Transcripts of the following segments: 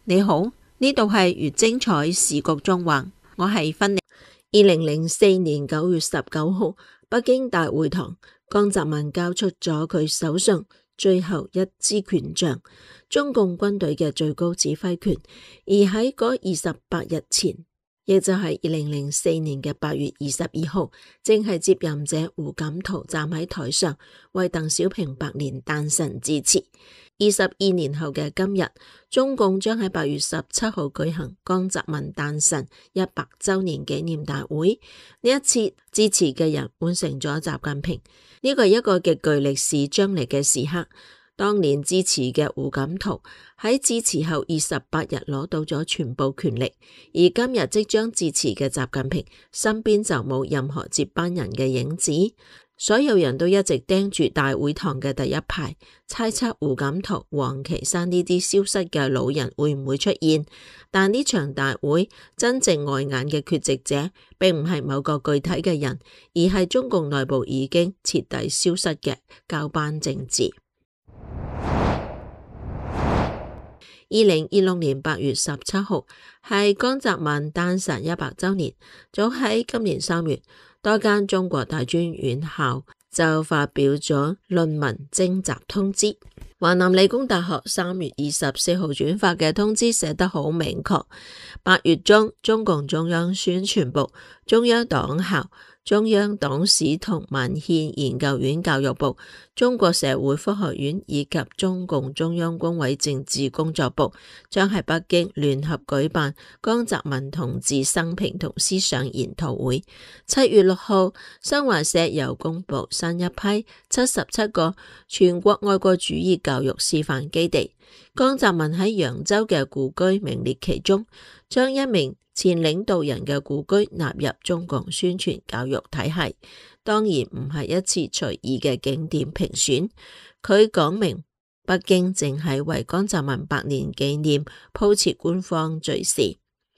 你好，呢度係越精彩時局中環，我係芬妮。2004年9月19號，北京大會堂，江澤民交出咗佢手上最後一支權杖，中共軍隊嘅最高指揮權。而喺嗰28日前，亦就係2004年嘅8月22號，正係接任者胡錦濤站喺台上為鄧小平百年誕辰致辭。22年後嘅今日，中共將喺8月17號舉行江澤民誕辰100週年紀念大會。呢一次致辭嘅人換成咗習近平，呢個係一個極具歷史張力嘅時刻。當年致辭嘅胡錦濤喺致辭後28日攞到咗全部權力，而今日即將致辭嘅習近平身邊就冇任何接班人嘅影子。所有人都一直盯住大會堂嘅第一排，猜測胡錦濤、王岐山呢啲消失嘅老人會唔會出現。但呢場大會真正礙眼嘅缺席者，並唔係某個具體嘅人，而係中共內部已經徹底消失嘅交班政治。2026年8月17號係江澤民誕辰100週年。早喺今年3月，多間中國大專院校就發表咗論文徵集通知。華南理工大學3月24號轉發嘅通知寫得好明確：8月中，中共中央宣傳部、中央黨校、中央黨史同文獻研究院教育部、中國社會科學院以及中共中央軍委政治工作部將喺北京聯合舉辦江澤民同志生平同思想研討會。7月6號，新華社又公布新一批77個全國愛國主義教育示範基地，江澤民喺揚州嘅故居名列其中，將一名前領導人嘅故居納入中共宣傳教育體系，當然唔係一次隨意嘅景點評選。佢講明北京正係為江澤民百年紀念鋪設官方敘事。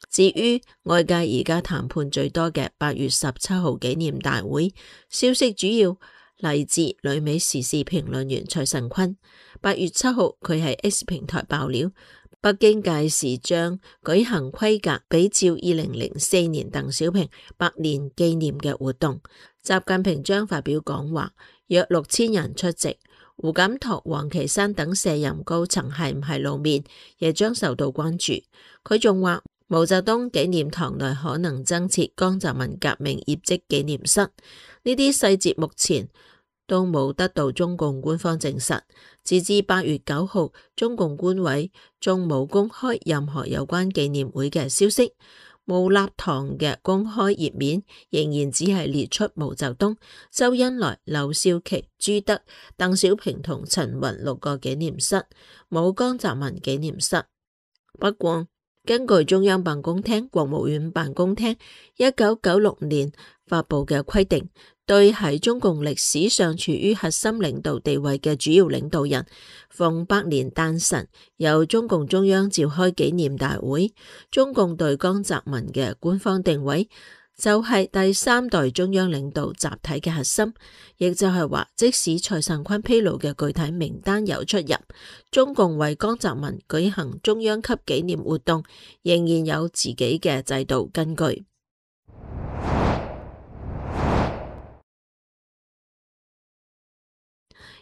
至於外界而家談判最多嘅8月17號紀念大會，消息主要嚟自旅美時事評論員蔡慎坤。8月7號佢喺 X 平台爆料，北京屆時將舉行規格比照2004年鄧小平百年紀念嘅活動，習近平將發表講話，約6000人出席。胡錦濤、王岐山等卸任高層係唔係露面，亦將受到關注。佢仲話，毛澤東紀念堂內可能增設江澤民革命業績紀念室。呢啲細節目前都冇得到中共官方證實。截至8月9號，中共官委仲冇公開任何有關紀念會嘅消息。毛立堂嘅公開頁面仍然只係列出毛澤東、周恩來、劉少奇、朱德、鄧小平同陳雲6個紀念室，冇江澤民紀念室。不過，根據中央辦公廳、國務院辦公廳1996年發布嘅規定，對喺中共歷史上處於核心領導地位嘅主要領導人，逢百年誕辰由中共中央召開紀念大會。中共對江澤民嘅官方定位就係第3代中央領導集體嘅核心，亦就係話，即使蔡慎坤披露嘅具體名單有出入，中共為江澤民舉行中央級紀念活動，仍然有自己嘅制度根據。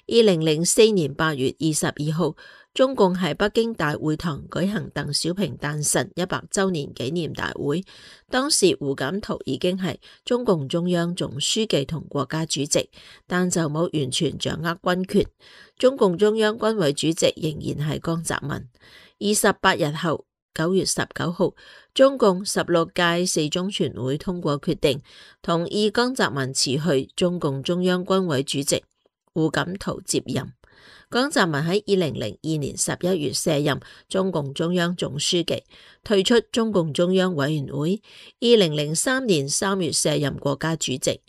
2004年8月22號，中共喺北京大會堂舉行鄧小平誕辰100週年紀念大會。當時胡錦濤已經係中共中央總書記同國家主席，但就冇完全掌握軍權。中共中央軍委主席仍然係江澤民。28日後，9月19號，中共16屆四中全會通過決定，同意江澤民辭去中共中央軍委主席，胡錦濤接任。江澤民喺2002年11月卸任中共中央總書記，退出中共中央委員會。2003年3月卸任國家主席。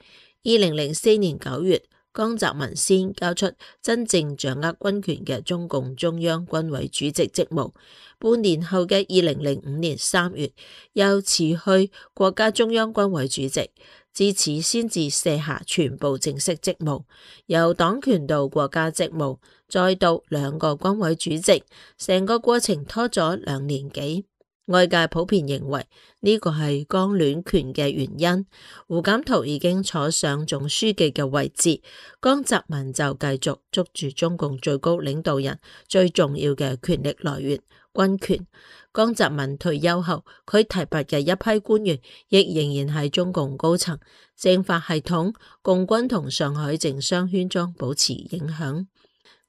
2004年9月，江澤民先交出真正掌握軍權嘅中共中央軍委主席職務。半年後嘅2005年3月，又辭去國家中央軍委主席，自此先至卸下全部正式職務，由黨權到國家職務，再到2個軍委主席，成個過程拖咗2年幾。外界普遍認為呢個係剛亂權嘅原因。胡錦濤已經坐上總書記嘅位置，江澤民就繼續捉住中共最高領導人最重要嘅權力來源軍權。江澤民退休後，佢提拔嘅一批官員亦仍然係中共高層，政法系統、共軍同上海政商圈中保持影響。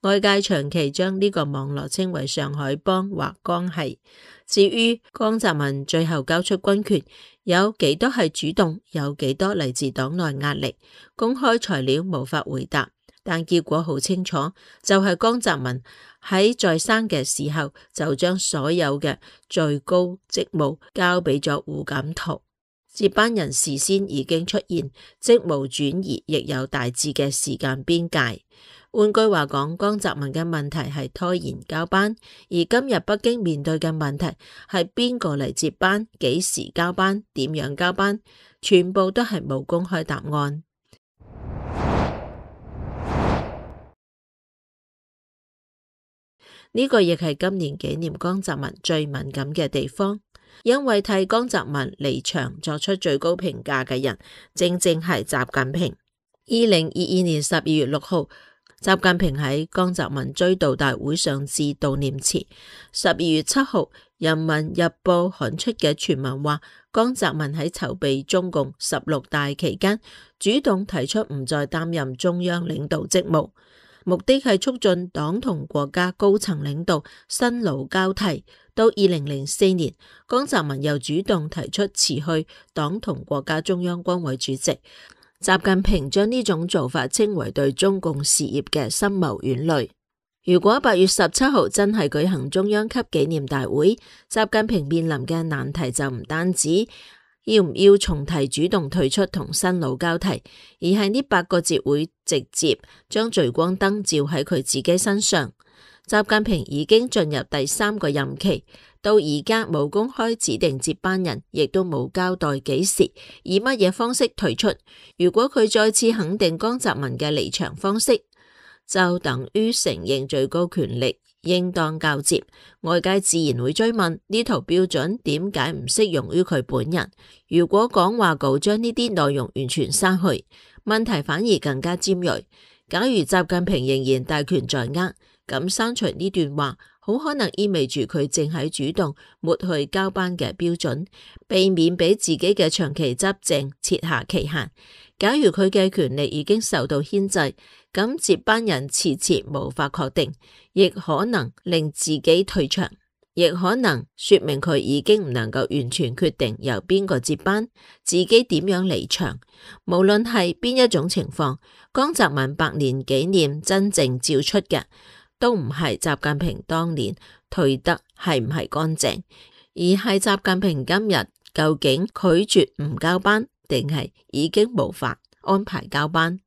外界長期將呢個網絡稱為上海幫或江系。至於江澤民最後交出軍權，有幾多係主動，有幾多嚟自黨內壓力，公開材料無法回答。但結果好清楚，就係江澤民喺在生嘅時候就將所有嘅最高職務交俾咗胡錦濤，接班人事先已經出現，職務轉移亦有大致嘅時間邊界。換句話講，江澤民嘅問題係拖延交班，而今日北京面對嘅問題係邊個嚟接班、幾時交班、點樣交班，全部都係冇公開答案。呢個亦係今年紀念江澤民最敏感嘅地方，因為替江澤民離場作出最高評價嘅人，正正係習近平。2022年12月6號，習近平喺江澤民追悼大會上致悼念詞。12月7號，人民日報刊出嘅傳聞話，江澤民喺籌備中共16大期間，主動提出唔再擔任中央領導職務，目的係促進黨同國家高層領導新老交替。到2004年，江澤民又主動提出辭去黨同國家中央軍委主席。習近平將呢種做法稱為對中共事業嘅深謀遠慮。如果8月17號真係舉行中央級紀念大會，習近平面臨嘅難題就唔單止要唔要重提主動退出同新老交替，而係呢8個字會直接將聚光燈照喺佢自己身上。習近平已經進入第3個任期，到而家冇公開指定接班人，亦都冇交代幾時以乜嘢方式退出。如果佢再次肯定江澤民嘅離場方式，就等於承認最高權力應當交接。外界自然會追問呢套標準點解唔適用於佢本人？如果講話稿將呢啲內容完全刪去，問題反而更加尖銳。假如習近平仍然大權在握，咁刪除呢段話，好可能意味住佢正喺主動抹去交班嘅標準，避免俾自己嘅長期執政設下期限。假如佢嘅權力已經受到牽制，咁接班人遲遲無法確定，亦可能令自己退場，亦可能說明佢已經唔能夠完全決定由邊個接班，自己點樣離場。無論係邊一種情況，江澤民100年紀念真正照出嘅，都唔係習近平當年退得係唔係乾淨，而係習近平今日究竟拒絕唔交班，定係已經無法安排交班。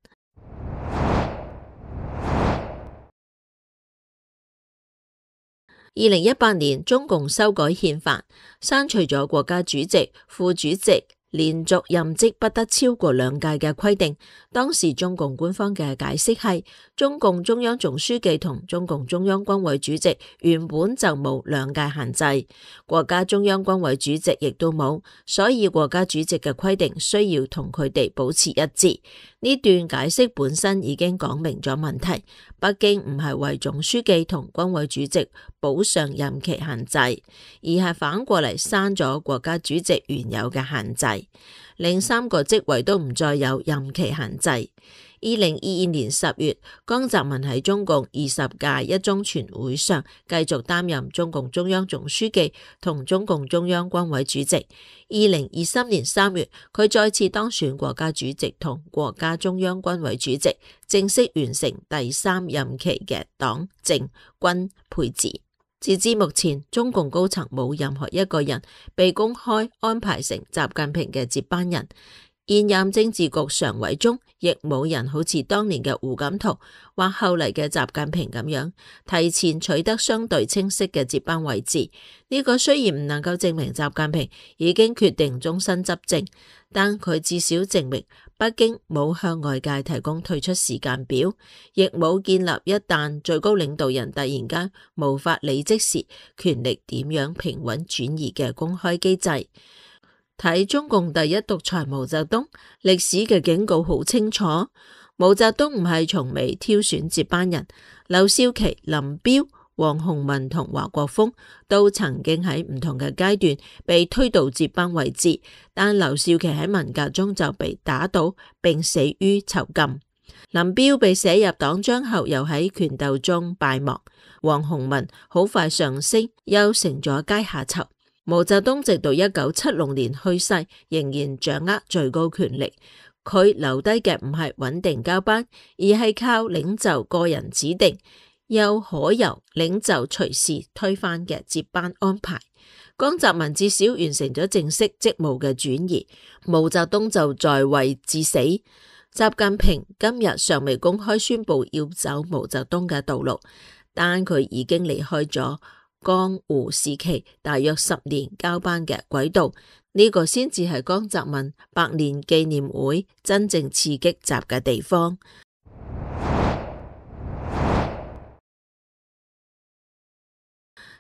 2018年，中共修改憲法，刪除咗國家主席、副主席連續任職不得超過2屆嘅規定。當時中共官方嘅解釋係，中共中央總書記同中共中央軍委主席原本就冇2屆限制，國家中央軍委主席亦都冇，所以國家主席嘅規定需要同佢哋保持一致。呢段解釋本身已經講明咗問題，北京唔係為總書記同軍委主席補上任期限制，而係反過嚟刪咗國家主席原有嘅限制，令3個職位都唔再有任期限制。2022年10月，江澤民喺中共20屆一中全會上繼續擔任中共中央總書記同中共中央軍委主席。2023年3月，佢再次當選國家主席同國家中央軍委主席，正式完成第3任期嘅黨政軍配置。截至目前，中共高層冇任何一個人被公開安排成習近平嘅接班人。現任政治局常委中，亦冇人好似當年嘅胡錦濤或後嚟嘅習近平咁樣，提前取得相對清晰嘅接班位置。呢個雖然唔能夠證明習近平已經決定終身執政，但佢至少證明北京冇向外界提供退出時間表，亦冇建立一旦最高領導人突然間無法履職時，權力點樣平穩轉移嘅公開機制。睇中共第一獨裁毛澤東，歷史嘅警告好清楚。毛澤東唔係從未挑選接班人，劉少奇、林彪、王洪文同華國鋒都曾經喺唔同嘅階段被推到接班位置，但劉少奇喺文革中就被打倒並死於囚禁。林彪被寫入黨章後，又喺權鬥中敗亡。王洪文好快上升，又成咗階下囚。毛澤東直到1976年去世，仍然掌握最高權力。佢留低嘅唔係穩定交班，而係靠領袖個人指定，又可由領袖隨時推翻嘅接班安排。江澤民至少完成咗正式職務嘅轉移，毛澤東就在位至死。習近平今日尚未公開宣布要走毛澤東嘅道路，但佢已經離開咗江胡時期大約10年交班嘅軌道，呢個先至係江澤民百年紀念會真正刺激習嘅地方。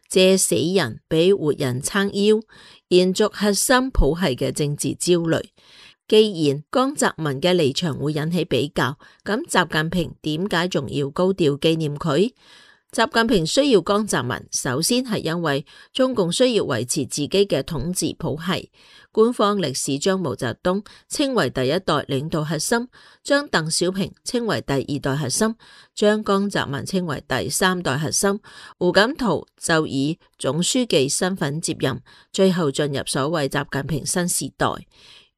借死人俾活人撐腰，延續核心譜系嘅政治焦慮。既然江澤民嘅離場會引起比較，咁習近平點解仲要高調紀念佢？習近平需要江澤民，首先係因為中共需要維持自己嘅統治譜系。官方歷史將毛澤東稱為第一代領導核心，將鄧小平稱為第二代核心，將江澤民稱為第三代核心。胡錦濤就以總書記身份接任，最後進入所謂習近平新時代。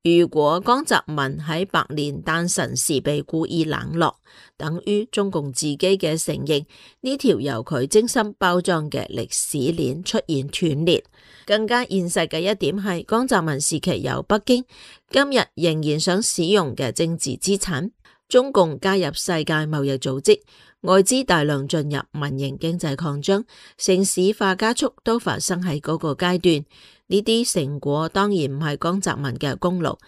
如果江澤民喺百年誕辰時被故意冷落，等於中共自己嘅承認呢條由佢精心包裝嘅歷史鏈出現斷裂。更加現實嘅一點係，江澤民時期由北京今日仍然想使用嘅政治資產，中共加入世界貿易組織，外資大量進入，民營經濟擴張，城市化加速都發生喺嗰個階段。呢啲成果當然唔係江澤民嘅功勞，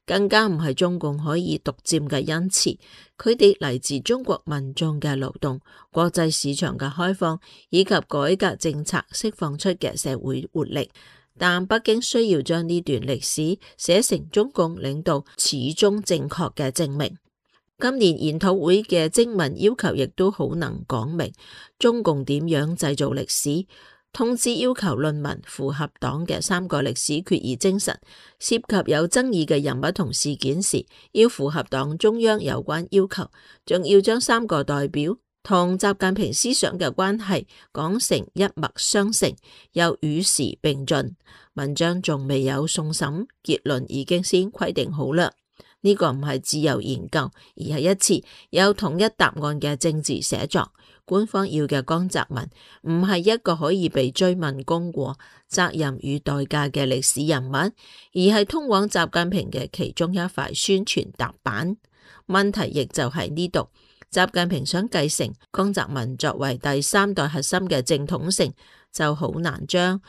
更加唔係中共可以獨佔嘅恩賜。佢哋嚟自中國民眾嘅勞動、國際市場嘅開放以及改革政策釋放出嘅社會活力。但北京需要將呢段歷史寫成中共領導始終正確嘅證明。今年研討會嘅徵文要求亦都好能講明中共點樣製造歷史。通知要求論文符合黨嘅3個歷史決議精神，涉及有爭議嘅人物同事件時，要符合黨中央有關要求，仲要將3個代表同習近平思想嘅關係講成一脈相承，又與時並進。文章仲未有送審，結論已經先規定好啦。呢個唔係自由研究，而係一次有統一答案嘅政治寫作。官方要嘅江澤民唔係一個可以被追問功過、責任與代價嘅歷史人物，而係通往習近平嘅其中一塊宣傳踏板。問題亦就喺呢度，習近平想繼承江澤民作為第三代核心嘅正統性，就好難將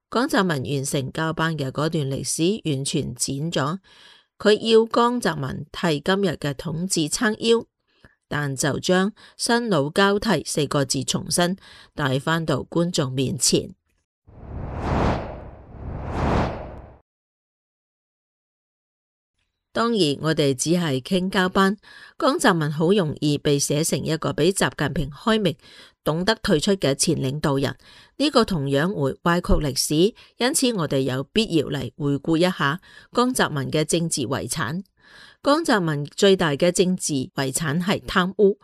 江澤民完成交班嘅嗰段歷史完全剪咗。佢要江澤民替今日嘅統治撐腰，但就將新老交替4個字重新帶返到觀眾面前。當然，我哋只係傾交班，江澤民好容易被寫成一個比習近平開明、懂得退出嘅前領導人，呢個同樣會歪曲歷史。因此，我哋有必要嚟回顧一下江澤民嘅政治遺產。江澤民最大嘅政治遺產係貪污，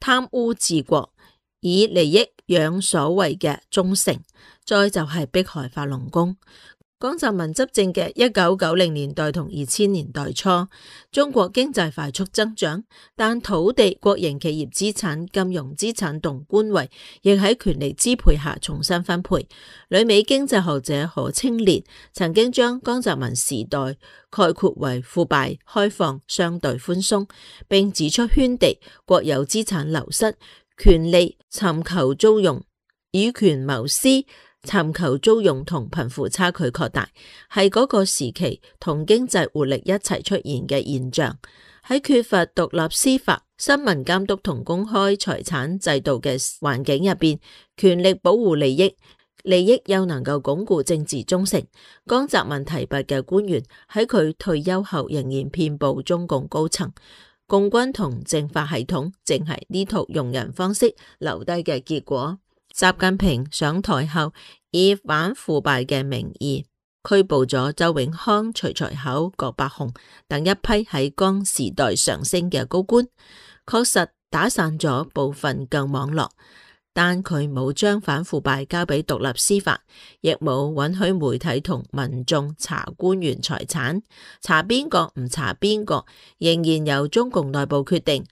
貪污治國，以利益養所謂嘅忠誠，再就係迫害法輪功。江澤民執政嘅1990年代同2000年代初，中國經濟快速增長，但土地、國營企業資產、金融資產同官位亦喺權力支配下重新分配。旅美經濟學者何清漣曾經將江澤民時代概括為腐敗、開放、相對寬鬆，並指出圈地、國有資產流失、權利尋求租用、以權謀私、尋求租用同貧富差距擴大，係嗰個時期同經濟活力一齊出現嘅現象。喺缺乏獨立司法、新聞監督同公開財產制度嘅環境入邊，權力保護利益，利益又能夠鞏固政治忠誠。江澤民提拔嘅官員喺佢退休後仍然遍佈中共高層，共軍同政法系統正係呢套用人方式留低嘅結果。習近平上台後，以反腐敗嘅名義拘捕咗周永康、徐才厚、郭伯雄等一批喺江時代上升嘅高官，確實打散咗部分舊網絡，但佢冇將反腐敗交俾獨立司法，亦冇允許媒體同民眾查官員財產，查邊個唔查邊個，仍然由中共內部決定。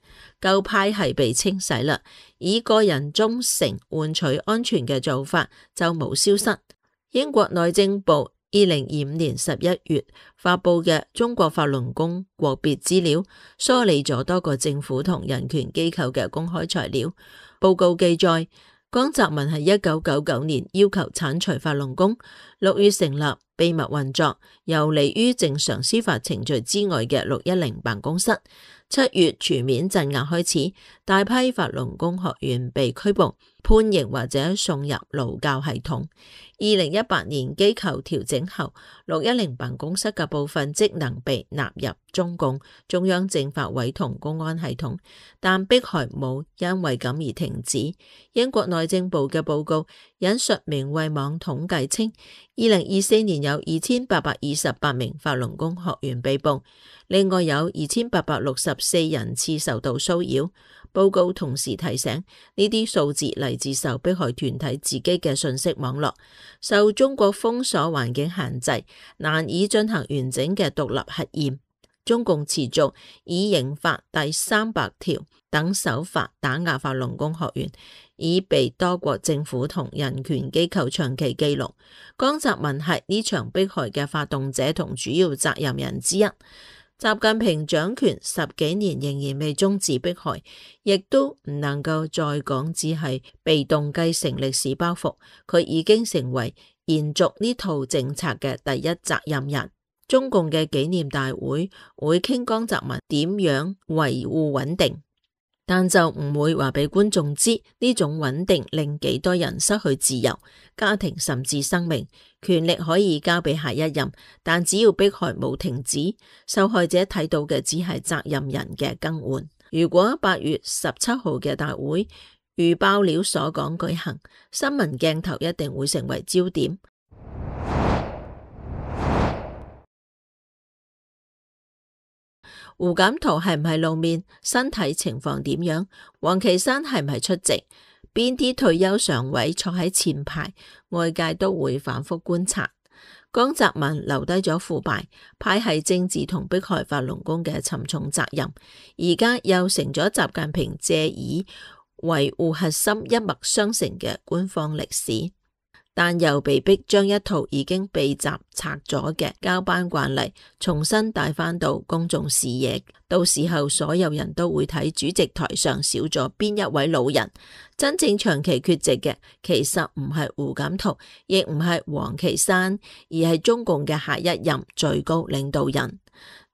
舊派系被清洗啦，以個人忠誠換取安全嘅做法就冇消失。英國內政部2025年11月發佈嘅中國法輪功國別資料，梳理咗多個政府同人權機構嘅公開材料。報告記載，江澤民喺1999年要求剷除法輪功，6月成立秘密運作、游離於正常司法程序之外嘅610辦公室。7月全面鎮壓開始，大批法輪功學員被拘捕、判刑或者送入勞教系統。2018年機構調整後，610辦公室嘅部分職能被納入中共中央政法委同公安系統，但迫害冇因為咁而停止。英國內政部嘅報告引述明慧網統計稱，2024年有2828名法輪功學員被捕，另外有2864人次受到騷擾。報告同時提醒，呢啲數字嚟自受迫害團體自己嘅信息網絡，受中國封鎖環境限制，難以進行完整嘅獨立核驗。中共持續以刑法第300條等手法打壓法輪功學員，已被多國政府同人權機構長期記錄。江澤民係呢場迫害嘅發動者同主要責任人之一。習近平掌權10幾年仍然未終止迫害，亦都唔能夠再講只係被動繼承歷史包袱，佢已經成為延續呢套政策嘅第一責任人。中共嘅紀念大會會傾江澤民點樣維護穩定，但就唔會話俾觀眾知呢種穩定令幾多人失去自由、家庭甚至生命。權力可以交俾下一任，但只要迫害冇停止，受害者睇到嘅只係責任人嘅更換。如果8月17號嘅大會如爆料所講舉行，新聞鏡頭一定會成為焦點。胡錦濤係唔係露面？身體情況點樣？王岐山係唔係出席？邊啲退休常委坐喺前排？外界都會反覆觀察。江澤民留低咗腐敗、派系政治同迫害法輪功嘅沉重責任，而家又成咗習近平借以維護核心一脈相承嘅官方歷史。但又被迫將一套已經被習拆咗嘅交班慣例重新帶返到公眾視野，到時候所有人都會睇主席台上少咗邊一位老人。真正長期缺席嘅其實唔係胡錦濤，亦唔係王岐山，而係中共嘅下一任最高領導人。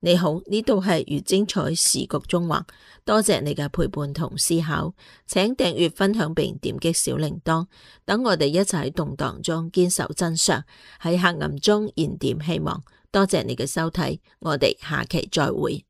你好，呢度係越精彩時局中橫，多謝你嘅陪伴同思考，請訂閱、分享並點擊小鈴鐺，等我哋一齊喺動盪中堅守真相，喺黑暗中燃點希望。多謝你嘅收睇，我哋下期再會。